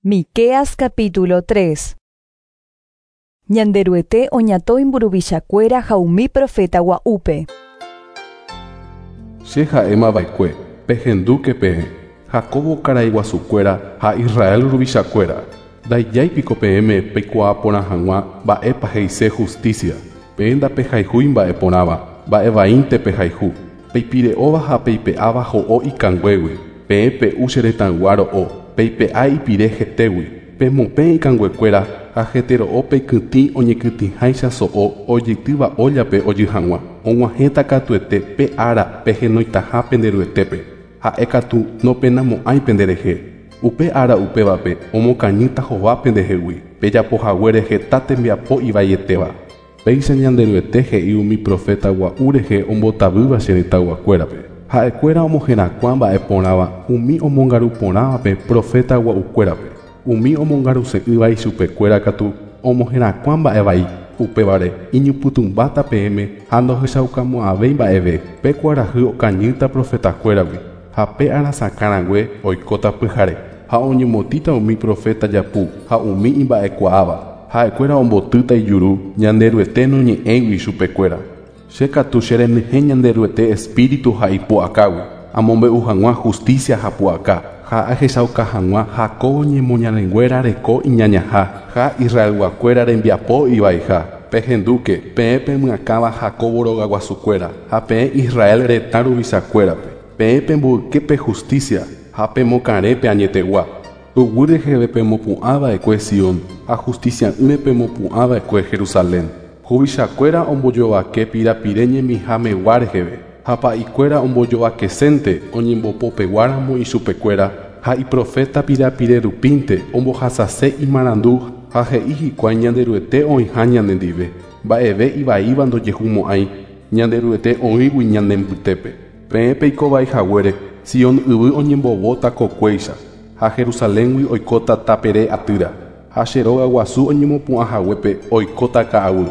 Miqueas capítulo 3. Ñanderuete oñatõi mburuvichakuéra ha umi profeta gua'úpe. Che ha'émava'ekue, pehendúke peẽ, Jacobo karaiguasukuéra ha Israel ruvichakuéra. Ndaijái piko peẽme peikuaa porã hag̃ua mba'épa he'ise justicia. Peẽ ndapehayhúi mba'e porãva, mba'e vaínte pehayhu. Peipire'óva ha peipe'áva ho'o ikanguégui. Peẽ pe'u che retãygua ro'o, peipe'a ipire hetégui. Pemopẽ ikanguekuéra ha hetero'o peikytĩ oñekytĩháicha so'o ojeitýva óllape ojy hag̃ua. Og̃uahẽta katuete pe ára pehenoitaha penderuetépe. Ha'e katu nopenamo'ãi penderehe. Upe ára upévape omokañýta hova pendehegui, pejapohaguére heta tembiapo ivaietéva. Péicha Ñanderuete he'i umi proféta gua'u rehe ombotavýva che retãyguakuérape. Ha'ekuéra omoherakuã mba'e porãva umi omongaru porãvape proféta gua'ukuérape. Umi omongaruse'ỹva ichupekuéra katu omoherakuã mba'e vai. Upévare iñypytũmbáta peẽme ha ndohechaukamo'ãvéi mba'eve. Pe kuarahy okañýta profetakuéragui ha pe arasakãrangue oikóta pyhare. Ha oñemotĩta umi proféta japu ha umi imba'ekuaáva. Ha'ekuéra ombotýta ijuru Ñanderuete noñe'ẽigui ichupekuéra. Che katu che renyhẽ Ñanderuete espíritu ha ipu'akágui, amombe'u hag̃ua justicia ha pu'aka, ha ahechauka hag̃ua Jacobo ñemoñarenguéra reko iñañaha ha Israelguakuéra rembiapo ivaiha. Pehendúke, peẽ pemyakãva Jacobo rogaguasukuéra ha peẽ Israel retã ruvichakuérape. Peẽ pemboyke pe justicia ha pemokarẽ pe añetegua. Tuguy reheve pemopu'ãva'ekue Sion ha justicia'ỹre pemopu'ãva'ekue Jerusalén. Huvichakuéra ombojovake pirapire ñemihamegua reheve, ha pa'ikuéra ombojovakesénte oñembopopeguáramo ichupekuéra ha iproféta pirapire rupínte ombohasase imarandu ha he'i hikuái Ñanderuete oĩha ñanendive. Mba'eve ivaíva ndojehumo'ãi, Ñanderuete oĩgui ñane mbytépe. Peẽ peikovai haguére, Sion yvy oñembovóta kokuéicha, ha Jerusaléngui oikóta tapere atýra, ha che róga guasu oñemopu'ã haguépe oikóta ka'aguy.